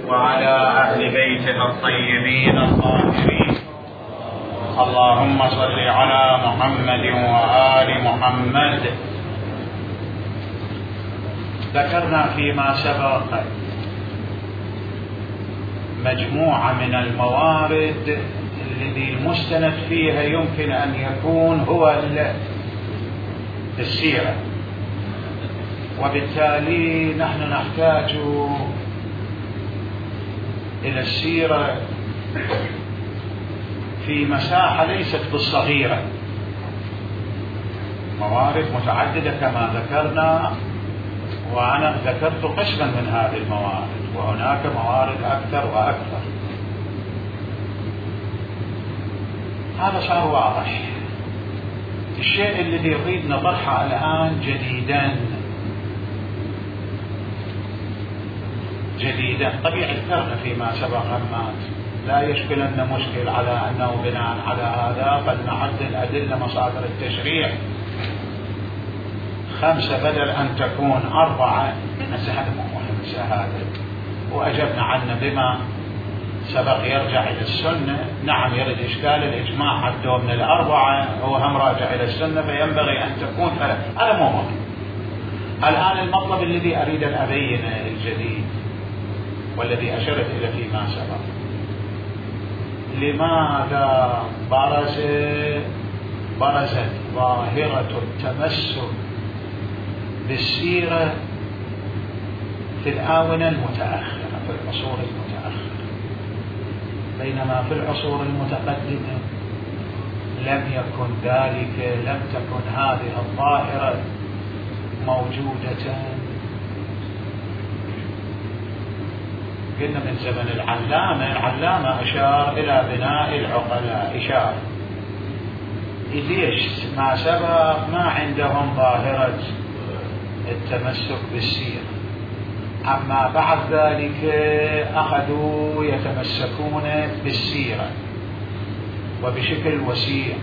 وعلى أهل بيته الطيبين الطاهرين. اللهم صل على محمد وآل محمد. ذكرنا فيما سبق مجموعة من الموارد الذي المستند فيها يمكن أن يكون هو السيرة، وبالتالي نحن نحتاج إلى السيرة في مساحة ليست بالصغيرة، موارد متعددة كما ذكرنا، وأنا ذكرت قسما من هذه الموارد، وهناك موارد أكثر وأكثر. هذا صار واضح. الشيء الذي نريد نطرحه الآن جديدا طبيعي ذكرنا فيما سبق أمات، لا يشكل أن مشكل على أنه بناء على هذا فلنعدل أدلة مصادر التشريع 5 بدل أن تكون 4. هذا مهم هذا، وأجبنا عنه بما سبق يرجع إلى السنة. نعم يرد إشكال الإجماع حده من 4، هو هم راجع إلى السنة فينبغي أن تكون 3. هذا مو مهم. الآن المطلب الذي أريد أن أبينه الجديد والذي أشرت إلى فيما سبق، لماذا برزت ظاهرة التمسك بالسيرة في الآونة المتأخرة، في العصور المتأخرة، بينما في العصور المتقدمة لم يكن ذلك، لم تكن هذه الظاهرة موجودة. قلنا من زمن العلامة أشار إلى بناء العقلاء، إشار ليش ما سبق ما عندهم ظاهرة التمسك بالسيرة، أما بعد ذلك أخذوا يتمسكون بالسيرة وبشكل وسيع.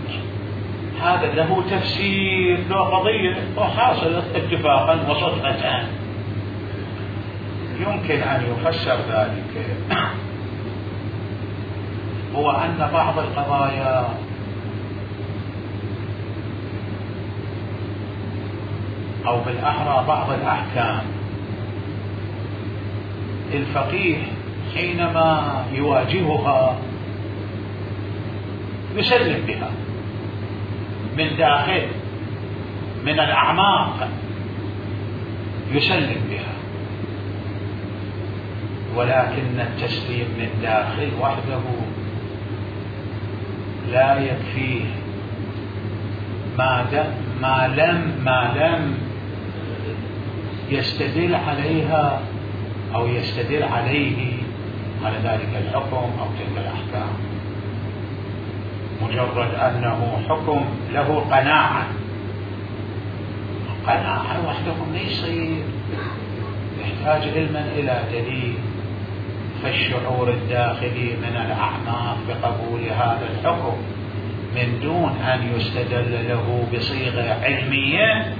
هذا له تفسير، له قضية وحاصل اتفاقا وصدفة يمكن أن يفسر ذلك، هو أن بعض القضايا أو بالأحرى بعض الأحكام الفقيه حينما يواجهها يسلم بها من داخل، من الأعماق يسلم بها، ولكن التسليم من داخل وحده لا يكفيه ما لم يستدل عليها أو يستدل عليه على ذلك الحكم أو تلك الأحكام. مجرد أنه حكم له قناعة وحده ما يصير، يحتاج علما إلى دليل، فالشعور الداخلي من الأعماق بقبول هذا الحكم من دون أن يستدل له بصيغة علمية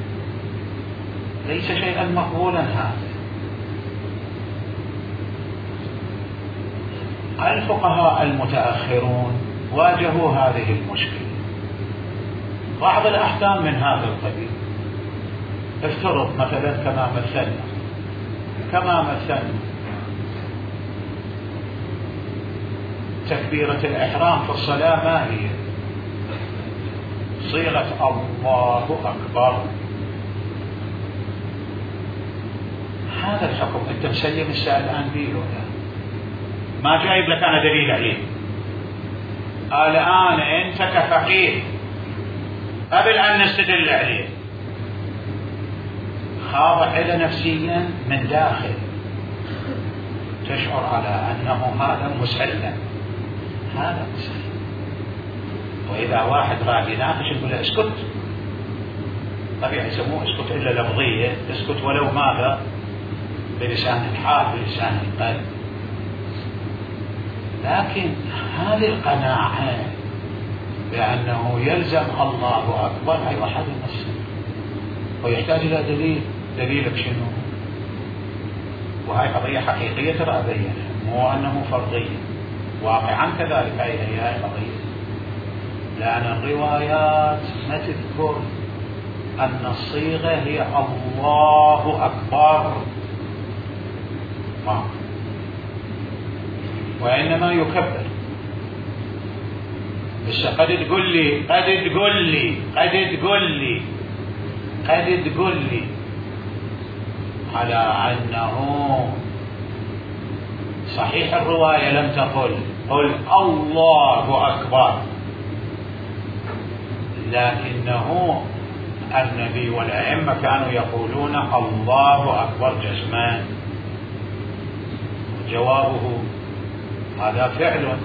ليس شيئا مقبولا. هذا الفقهاء المتأخرون واجهوا هذه المشكلة. بعض الأحكام من هذا القبيل، افترض مثلا كما مثلنا تكبيرة الإحرام في الصلاة ما هي؟ صيغة الله أكبر. هذا الحكم أنت مسلم السائل الآن به ولا ما جايب لك أنا دليل عليه؟ الآن أنت كفقيه قبل أن نستدل عليه خاضع إلى نفسيا من داخل، تشعر على أنه هذا مسلم. وإذا واحد راح يناقش يقول له اسكت، طبيعي يسموه اسكت إلا لفظية، اسكت ولو ماذا بلسان الحال بلسان القلب. لكن هذه القناعة بأنه يلزم الله أكبر أي واحد المسلم ويحتاج إلى دليل. دليلك شنو؟ وهي قضية حقيقية ترى أبينها، مو أنه فرضية، واقعا كذلك هي قضية، لأن الروايات ما تذكر أن الصيغة هي الله أكبر، ما، وإنما يكبر. بس قد تقول لي على أنه صحيح الرواية لم تقل قل الله أكبر، لكنه النبي والأئمة كانوا يقولون الله أكبر جزمان. جوابه هذا فعل،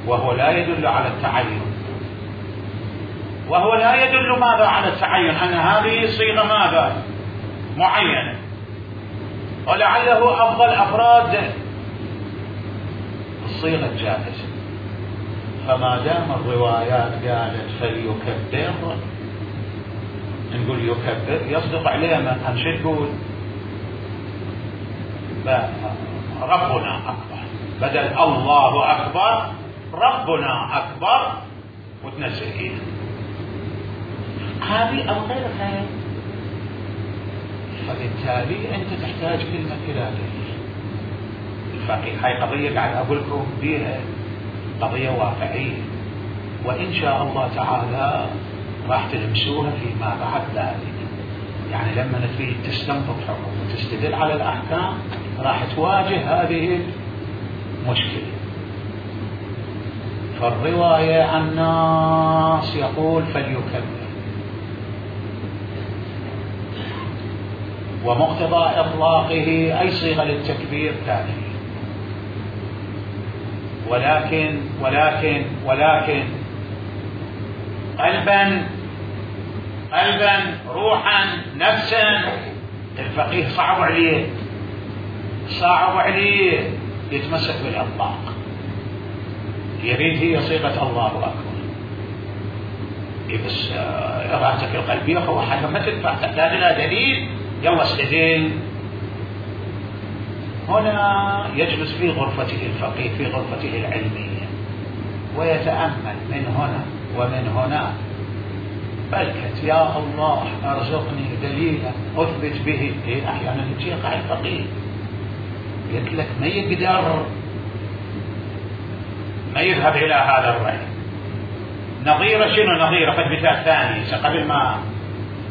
وهو لا يدل على التعين، وهو لا يدل ماذا على التعين، أن هذه صيغة ماذا معينة، ولعله أفضل أفراد الصيغة الجائزة. فما دام الروايات قالت فليكبر، نقول يكبر يصدق عليه أن شو تقول ربنا أكبر، بدل الله أكبر ربنا أكبر وتنزل إيده، هذه أو غيرها. فبالتالي أنت تحتاج كلمة إلى دليل. الفقيه هاي قضية قاعد أقول لكم بيها قضية واقعية، وإن شاء الله تعالى راح تلمسوها فيما بعد ذلك. يعني لما تريد تستنبط حكم وتستدل على الأحكام راح تواجه هذه المشكلة. فالرواية الناس يقول فليكبر، ومقتضى إطلاقه أي صيغة للتكبير كافية، ولكن قلبا روحا نفسا الفقيه صعب عليه يتمسك بالإطلاق، يريد هي صيغة الله أكبر. بس إرادتك القلبية هو حاجة ما تنفع، تحتاج إلى دليل، يلا استدل. هنا يجلس في غرفته الفقيه في غرفته العلمية ويتأمل من هنا ومن هنا، بلكت يا الله أرزقني دليلا أثبت به. أحيانا يقع الفقيه يقول لك ما يقدر ما يذهب إلى هذا الرأي. نظيرة شنو نظيرة؟ قد مثال ثاني قبل ما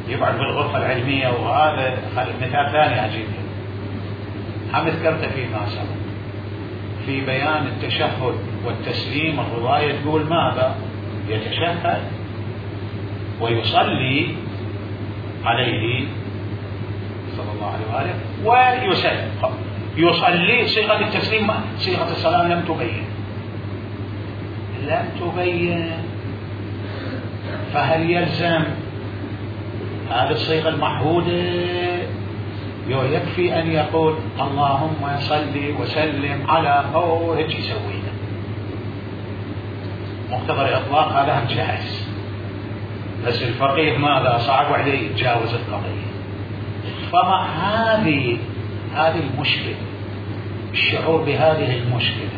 يقعد بالغرفة العلمية، وهذا مثال ثاني أجيب هم ذكرت فيما سبق في بيان التشهد والتسليم. الرواية تقول ماذا؟ يتشهد ويصلي عليه صلى الله عليه وآله ويسلم. يصلي صيغة التسليم، صيغة السلام لم تبين، فهل يلزم هذه الصيغة المعهودة؟ يكفي أن يقول اللهم صل وسلم على هيك يسوينا، مقتضى الإطلاق هذا جائز. بس الفقيه ماذا؟ صعب عليه يتجاوز القضية. فما هذه المشكلة، الشعور بهذه المشكلة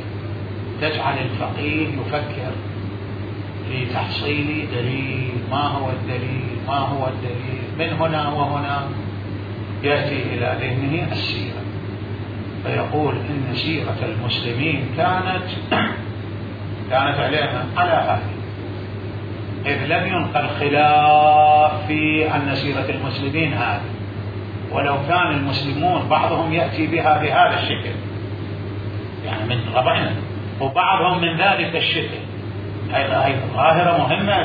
تجعل الفقيه يفكر في تحصيل دليل. ما هو الدليل؟ من هنا وهنا يأتي إلى ذهنه السيرة، فيقول إن سيرة المسلمين كانت على هذه، إذ لم ينقل خلاف في أن سيرة المسلمين هذه، ولو كان المسلمون بعضهم يأتي بها بهذا الشكل، يعني من طبعنا، وبعضهم من ذلك الشكل. هذه ظاهرة مهمة.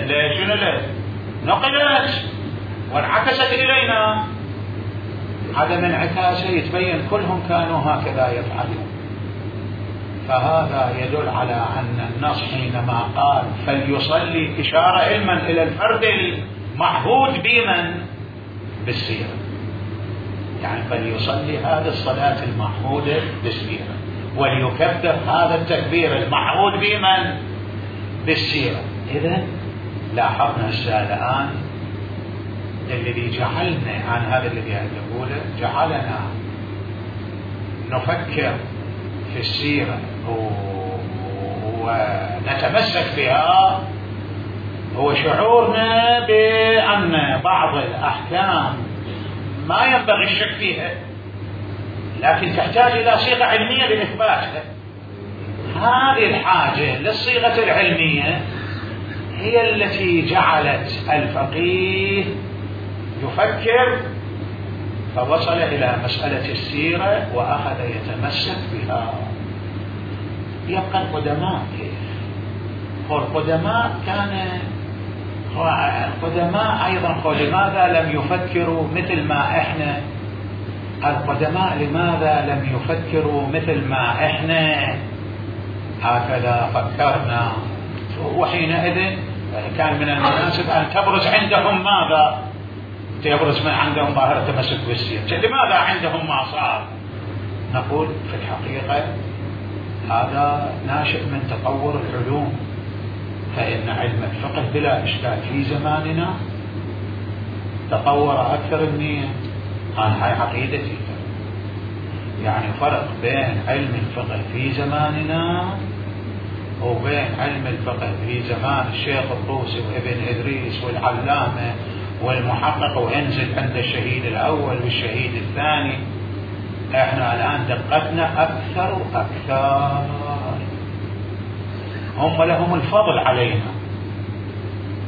لا شنو نقلت وانعكست إلينا، عدم انعكاسه يتبين كلهم كانوا هكذا يفعلون. فهذا يدل على أن النص حينما قال فليصلي إشارة علما إلى الفرد المعهود بمن؟ بالسيرة، يعني فليصلي هذه الصلاة المعهودة بالسيرة، وليكبر هذا التكبير المعهود بمن؟ بالسيرة. إذن لاحظنا الآن الذي جعلنا عن هذا الذي أقوله، جعلنا نفكر في السيرة ونتمسك بها هو شعورنا بأن بعض الأحكام ما ينبغي الشك فيها، لكن تحتاج إلى صيغة علمية لإثباتها. هذه الحاجة للصيغة العلمية هي التي جعلت الفقيه يفكر فوصل إلى مسألة السيرة وأخذ يتمسك بها. يبقى القدماء كيف؟ والقدماء القدماء أيضا لماذا لم يفكروا مثل ما إحنا؟ القدماء لماذا لم يفكروا مثل ما إحنا هكذا فكرنا؟ وحينئذ كان من المناسب أن تبرز عندهم ماذا؟ يبرز من عندهم ظاهرة تمسك بالسيرة. لماذا عندهم ما صار؟ نقول في الحقيقة هذا ناشئ من تطور العلوم، فإن علم الفقه بلا إشكال في زماننا تطور أكثر منه. أنا هاي عقيدتي، يعني فرق بين علم الفقه في زماننا وبين علم الفقه في زمان الشيخ الطوسي وابن إدريس والعلامة والمحقق وانزل عند الشهيد الأول والشهيد الثاني. احنا الآن دقتنا أكثر وأكثر، هم لهم الفضل علينا،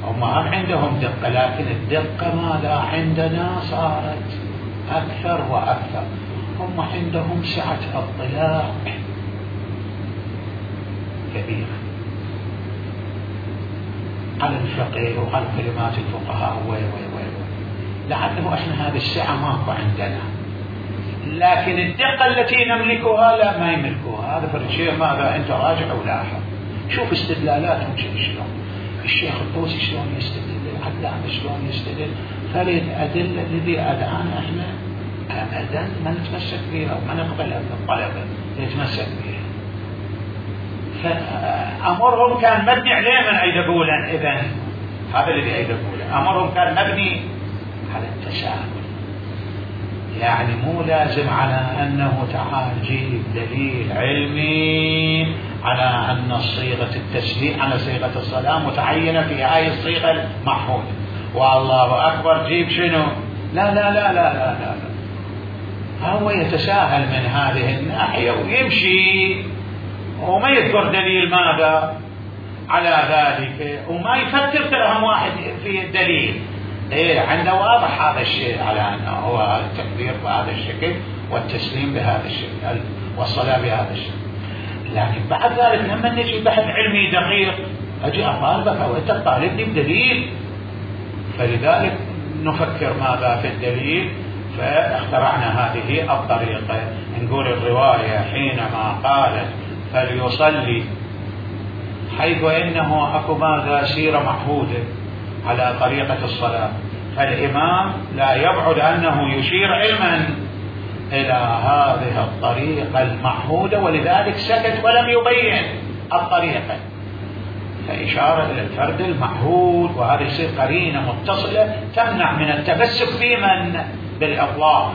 هم عندهم دقة، لكن الدقة ماذا عندنا صارت أكثر وأكثر. هم عندهم سعة اطلاع كبيرة على الفقه وعلى كلمات الفقهاء لعله احنا هذه السعة ماكو عندنا، لكن الدقة التي نملكها لا ما يملكوها. هذا فرق شيء ماذا انت راجع ولاحظ، شوف استدلالاتهم شلون، الشيخ الطوسي شلون يستدل، العلامة شلون يستدل. فالأدلة الذي الآن احنا أبدا ما نتمسك بها وما نقبلها من الطلبة نتمسك بها. فأمرهم كان مبني عليه من أيد قولا. إذن هذا الذي أيد قولا أمرهم كان مبني على التساهل، يعني مو لازم على أنه تعال جيب دليل علمي على أن صيغة التسليم على صيغة الصلاة متعينة في هاي الصيغة المحمودة والله أكبر جيب شنو. لا لا لا لا لا لا, لا. هو يتساهل من هذه الناحية ويمشي وما يذكر دليل ماذا على ذلك، وما يفكر ترهم واحد في الدليل. عنده واضح هذا الشيء على أنه هو التكبير بهذا الشكل والتسليم بهذا الشكل والصلاة بهذا الشكل. لكن بعد ذلك لما نجي بحث علمي دقيق أجي أطالبك أو أنت تطالبني بدليل، فلذلك نفكر ماذا في الدليل. فاخترعنا هذه الطريقة، نقول الرواية حينما قالت فليصلي حيث إنه أكو ماذا سيرة معهودة على طريقة الصلاة، فالإمام لا يبعد أنه يشير علما إلى هذه الطريقة المعهودة، ولذلك سكت ولم يبين الطريقة، فإشارة إلى الفرد المعهود. وهذه يصير قرينة متصلة تمنع من التمسك في من بالإطلاق.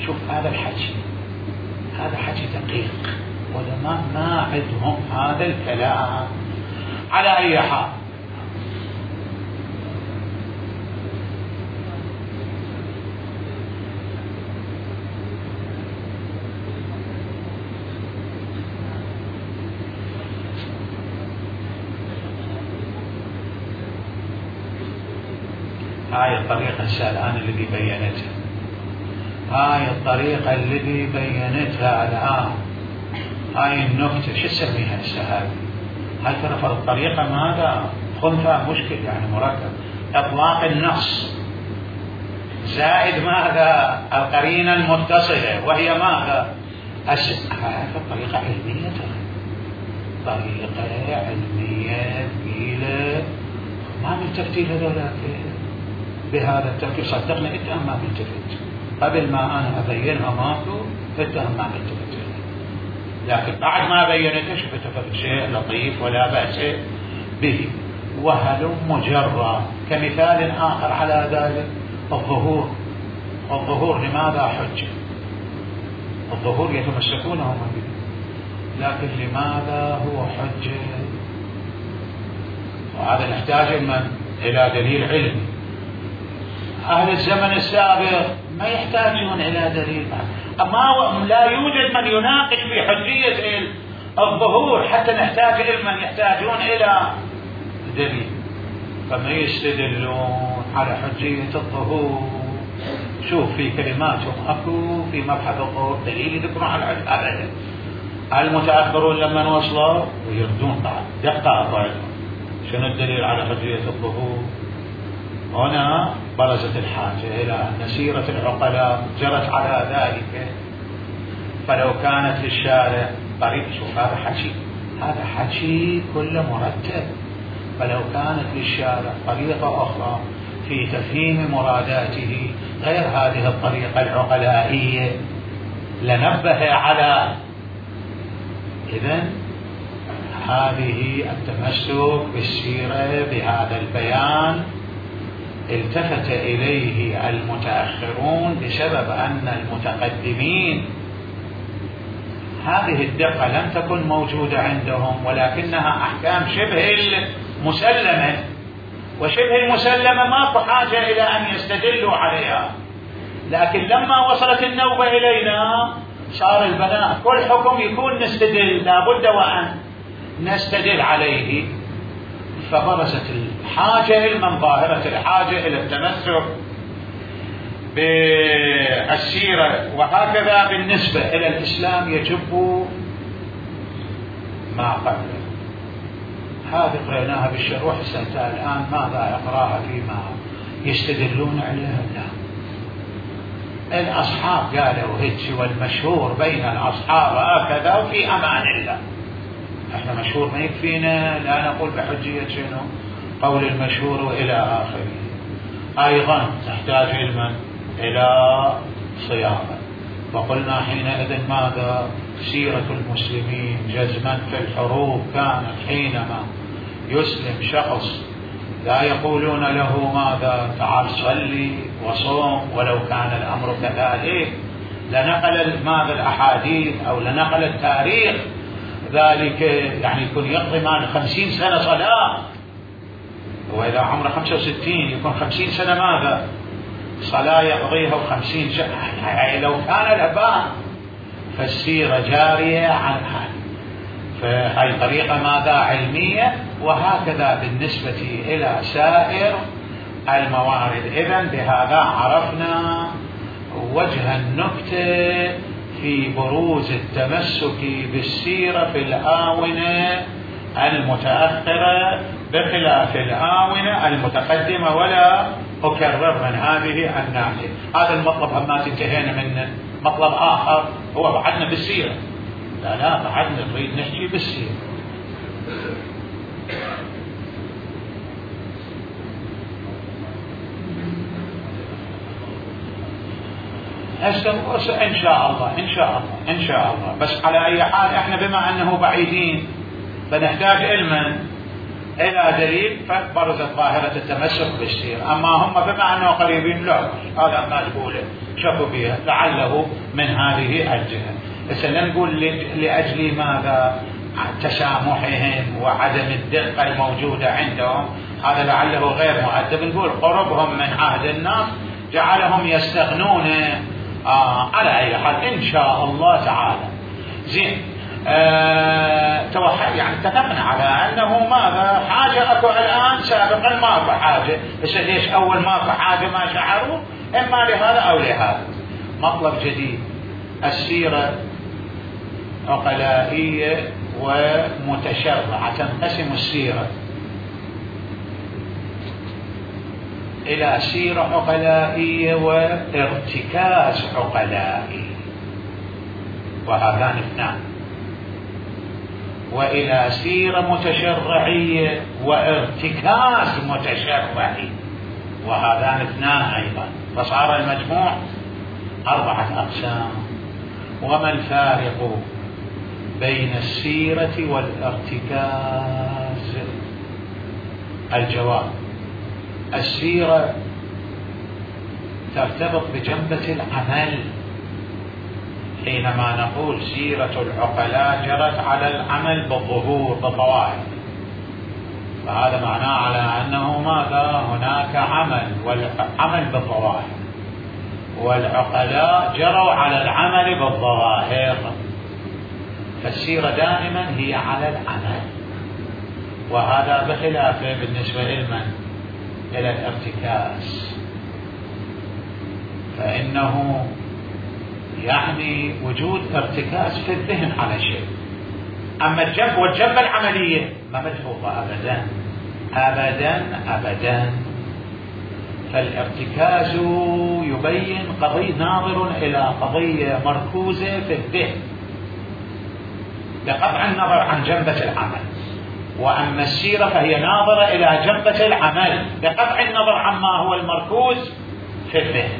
شوف هذا الحكي، هذا حكي دقيق، ولما ما عندهم هذا الكلام. على أي حال هاي الطريقة الآن الذي بينتها، هاي الطريقة الذي بينتها الآن، هاي النكتة شو تسميها السهل؟ هل ترى الطريقة ماذا خنثى مشكل يعني مركب، إطلاق النص زائد ماذا القرينة المتصلة وهي ماذا هذه طريقة علمية، طريقة علمية ثقيلة ما بالترتيب هذولاك بهذا التفكير. صدقني انت ما بلتفت قبل ما انا ابينها ماكو انت ما بلتفت، لكن بعد ما بينته شفت شيء لطيف ولا بأس به. وهل مجرد كمثال اخر على ذلك الظهور. الظهور لماذا حجة؟ الظهور يتمسكون هم به، لكن لماذا هو حجة؟ وهذا نحتاج إلى دليل علمي. أهل الزمن السابق ما يحتاجون إلى دليل، أما لا يوجد من يناقش في حجية الظهور حتى نحتاج إلى من يحتاجون إلى دليل، فما يستدلون على حجية الظهور. شوف في كلماتهم أكو في مبحث الظهور دليل يذكرون على أبدا. المتأخرون لما وصلوا ويردون بعد دقة شنو الدليل على حجية الظهور؟ هنا برزت الحاجة إلى أن سيرة العقلاء جرت على ذلك. فلو كانت للشارع طريق، شوف هذا حكي كله مرتب. فلو كانت للشارع طريقة أخرى في تفهيم مراداته غير هذه الطريقة العقلائية لنبه على. إذن هذه التمسك بالسيرة بهذا البيان التفت إليه المتأخرون بسبب أن المتقدمين هذه الدقة لم تكن موجودة عندهم، ولكنها أحكام شبه المسلمة، وشبه المسلمة ما في حاجة إلى أن يستدلوا عليها. لكن لما وصلت النوبة إلينا صار البناء كل حكم يكون نستدل، لابد وأن نستدل عليه. فبرزت الحاجة من ظاهرة الحاجة إلى التمسك بالسيرة. وهكذا بالنسبة إلى الإسلام يجب ما قبله. هذه قرأناها بالشروح السنة الآن ماذا يقرأها فيما يستدلون عليها؟ لا، الأصحاب قالوا هيك، والمشهور بين الأصحاب هكذا وفي أمان الله. احنا مشهور ما يكفينا، لا نقول بحجية شنو قول المشهور وإلى آخره. أيضا تحتاج علما إلى صياغة. وقلنا حينئذ ماذا؟ سيرة المسلمين جزما في الحروب كانت حينما يسلم شخص لا يقولون له ماذا؟ تعال صلي وصوم، ولو كان الأمر كذلك لنقل ماذا الأحاديث أو لنقل التاريخ ذلك، يعني يكون يقضي معنا 50 سنة صلاة، وإذا عمره 65 يكون 50 سنة ماذا؟ صلاة يقضيها 50 سنة، يعني لو كان الأبان. فالسيرة جارية عن هذا، فهي طريقة ماذا؟ علمية. وهكذا بالنسبة إلى سائر الموارد. إذن بهذا عرفنا وجه النكتة في بروز التمسك بالسيرة في الآونة المتأخرة بخلاف الآونة المتقدمة، ولا أكرر من هذه الناحية. هذا المطلب ما انتهينا منه. مطلب آخر هو بعدنا بالسيرة، لا بعدنا نريد نحكي بالسيرة. إن شاء الله. بس على أي حال إحنا بما أنه بعيدين فنحتاج علما إلى دليل، فبرزت ظاهرة التمسك بالسيرة. أما هم بما أنه قريبين لا، هذا ما نقوله شافوا بها لعله من هذه الجهة. بس نقول لأجل ماذا؟ تسامحهم وعدم الدقة الموجودة عندهم، هذا لعله غير مؤدب. نقول قربهم من عهد الناس جعلهم يستغنون. على أي حال إن شاء الله تعالى زين. يعني اتفقنا على أنه ماذا؟ حاجة أكو الآن، سابقا ما في حاجة. بس ليش أول ما في حاجة ما شعروا؟ إما لهذا أو لهذا. مطلب جديد، السيرة عقلائية ومتشرعة. تنقسم السيرة إلى سيرة عقلائية وارتكاز عقلائي، وهذان اثنان. وإلى سيرة متشرعية وارتكاز متشرعي، وهذان اثنان أيضا. فصار المجموع 4 أقسام. وما الفارق بين السيرة والارتكاز؟ الجواب: السيرة ترتبط بجنبة العمل، حينما نقول سيرة العقلاء جرت على العمل بالظهور بالظواهر، فهذا معناه على أنه ماذا؟ هناك عمل بالظواهر، والعقلاء جروا على العمل بالظواهر، فالسيرة دائما هي على العمل. وهذا بخلافه بالنسبة إلى الارتكاز، فإنه يعني وجود ارتكاز في الذهن على شيء، أما الجبة العملية ما ملحوظة أبدا أبدا أبدا. فالارتكاز يبين قضية، ناظر إلى قضية مركوزة في الذهن بقطع النظر عن جنبة العمل، وأما السيرة فهي ناظرة إلى جنبة العمل بقطع النظر عما هو المركوز في الذهن،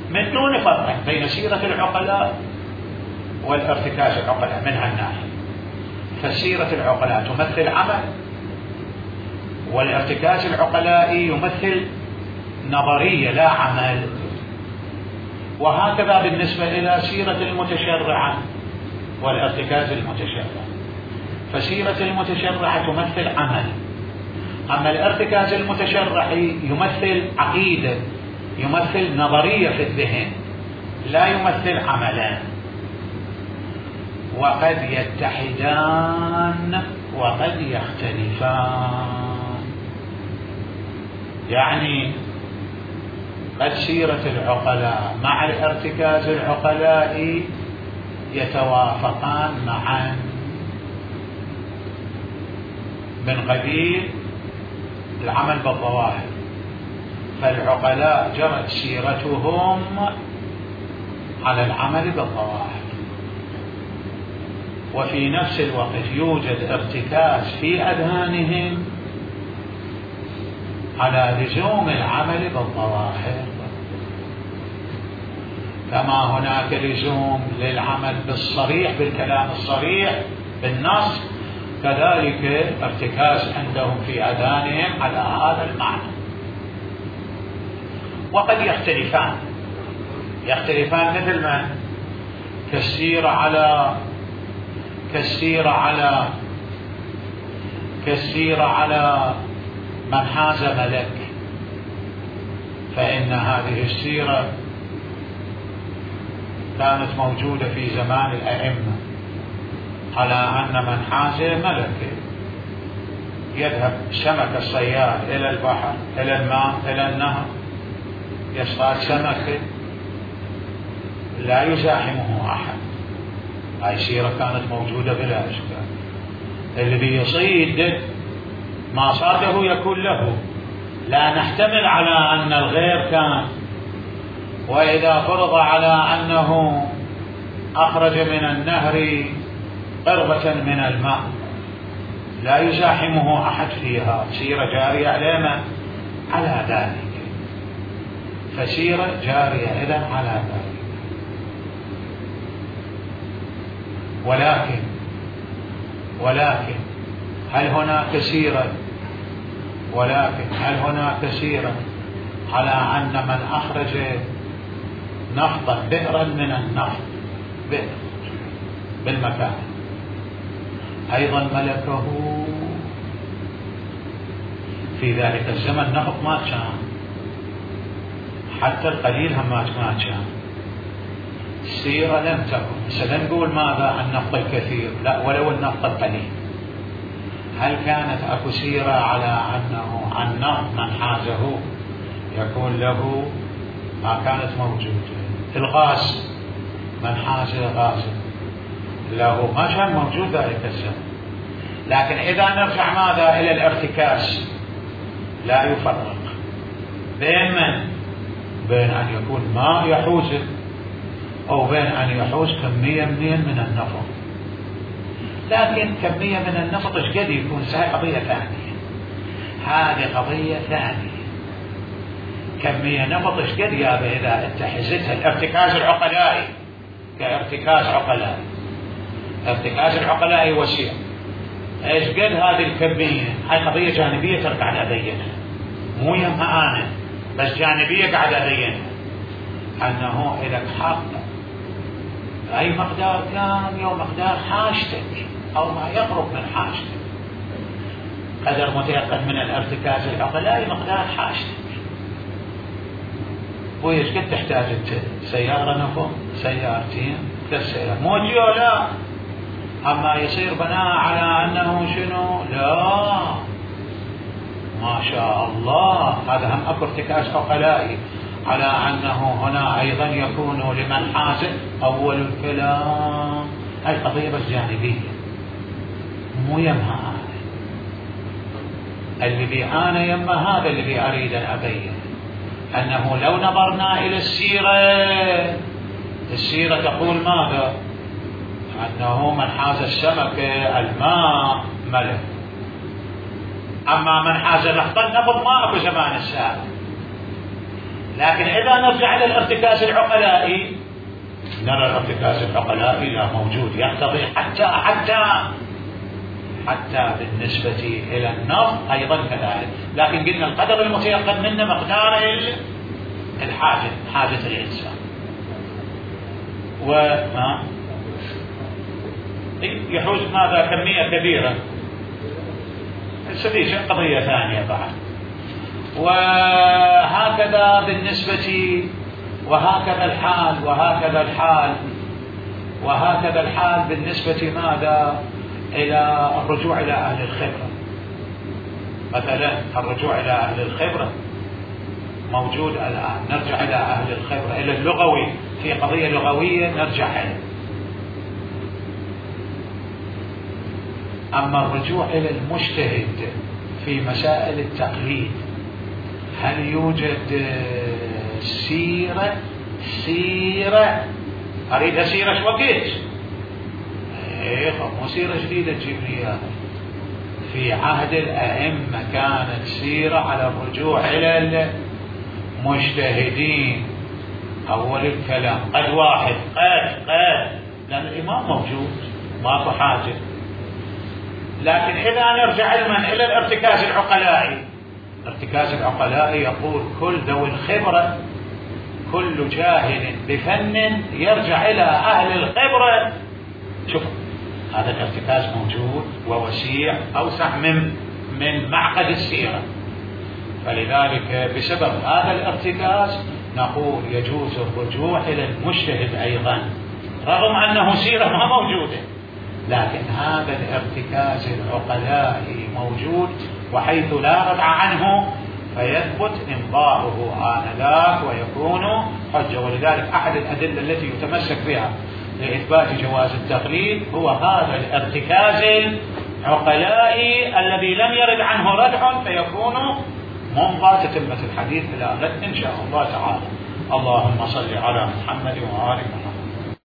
من دون فرق بين سيرة العقلاء والارتكاز العقلاء من هالناحية. فسيرة العقلاء تمثل عمل، والارتكاز العقلاء يمثل نظرية لا عمل. وهكذا بالنسبة إلى سيرة المتشرعة والارتكاز المتشرع، فسيرة المتشرعة تمثل عمل، أما الارتكاز المتشرعي يمثل عقيدة، يمثل نظرية في الذهن، لا يمثل عملا. وقد يتحدان وقد يختلفان، يعني قد سيرة العقلاء مع الارتكاز العقلاء يتوافقان معا من قبيل العمل بالظواهر، فالعقلاء جرت سيرتهم على العمل بالظواهر، وفي نفس الوقت يوجد ارتكاز في أذهانهم على لزوم العمل بالظواهر، كما هناك لزوم للعمل بالصريح بالكلام الصريح بالنص، كذلك ارتكاز عندهم في أذهانهم على هذا المعنى. وقد يختلفان مثل ما كالسيرة على من حاز ملك، فإن هذه السيرة كانت موجودة في زمان الأئمة على أن من حاز ملك يذهب سمك الصياد إلى البحر إلى الماء إلى النهر يصطاد سمكة لا يزاحمه أحد. هاي سيرة كانت موجودة بلا إشكال. الذي يصيد ما صاده يكون له، لا نحتمل على أن الغير كان، وإذا فرض على أنه أخرج من النهر قربة من الماء لا يزاحمه أحد فيها، سيرة جارية على ذلك، فسيرة جارية إذن على ذلك. ولكن هل هناك سيرة على أن من أخرج نفطا بئرا من النفط بئر بالمكان أيضا ملكه في ذلك الزمن؟ نفط ما كان، حتى القليل هم ما كان، السيرة لم تكن. سنقول ماذا النفط الكثير؟ لا، ولو النفط القليل. هل كانت أكو سيرة على أنه النفط من حازه يكون له؟ ما كانت موجودة. الغاز من حاز غازا له ما كان موجود ذلك الزمن. لكن إذا نرجع ماذا إلى الارتكاز، لا يفرق بين أن يكون ماء يحوزه أو بين أن يحوز كمية من النفط. لكن كمية من النفط ايش قد يكون؟ هذه قضية ثانية، هذه قضية ثانية. كمية نفط ايش قد يابا إذا انت حزتها الارتكاز العقلائي كارتكاز عقلائي، ارتكاز العقلائي وسيع، ايش قد هذه الكمية؟ هاي قضية جانبية ترى قاعد أبينها، مو يمها أنا بس جانبية قاعد أبينها، أنه إذا حق أي مقدار كان يوم مقدار حاجتك أو ما يقرب من حاجتك، قدر متيقن من الارتكاز العقلائي مقدار حاجتك. ويش قد تحتاج انت؟ سيارة نفط، سيارتين، 3 سيارات، مو لا. أما يصير بناء على أنه شنو؟ لا، ما شاء الله، هذا هم أكو ارتكاز عقلائي على أنه هنا أيضا يكون لمن حاز أول الكلام. هاي قضية بس جانبية، مو يمها اللي بي أنا يما هذا اللي بي أريد أن أبين أنه لو نظرنا إلى السيرة تقول ماذا؟ أنه من حاز السمكة الماء ملك، أما من حاز نقط النفط ما أكو زمان السابق. لكن إذا نرجع إلى الارتكاز العقلائي نرى الارتكاز العقلائي لا موجود، يقتضي حتى بالنسبة إلى النفط أيضا كذلك. لكن قلنا القدر المتيقن منه مقدار حاجة الإنسان. وما يحوز ماذا؟ كمية كبيرة، هذه قضية ثانية بعد. وهكذا بالنسبة وهكذا الحال بالنسبة ماذا؟ إلى الرجوع إلى أهل الخبرة. مثلا الرجوع إلى أهل الخبرة موجود الآن، نرجع إلى أهل الخبرة، إلى اللغوي، في قضية لغوية نرجع إليه. أما الرجوع إلى المجتهد في مسائل التقليد، هل يوجد سيرة أريد سيرة شو وقت؟ مو سيرة جديدة تجيب لي إياها. في عهد الأئمة كانت سيرة على الرجوع إلى المجتهدين أول الكلام، قد واحد لأن الإمام موجود ماكو حاجة. لكن إذا نرجع علما إلى الارتكاز العقلائي يقول كل ذوي الخبرة، كل جاهل بفن يرجع إلى أهل الخبرة. شوف هذا الارتكاز موجود ووسيع أوسع من معقد السيرة. فلذلك بسبب هذا الارتكاز نقول يجوز الرجوع إلى المجتهد أيضا، رغم أنه سيرة ما موجودة، لكن هذا الارتكاز العقلائي موجود، وحيث لا ردع عنه فيثبت إمضاؤه آنذاك ويكون حجة. ولذلك أحد الأدلة التي يتمسك بها لإثبات جواز التقليد هو هذا الارتكاز العقلائي الذي لم يرد عنه ردع، فيكون ممضى تتمة الحديث إلى غد إن شاء الله تعالى. اللهم صل على محمد وآل محمد.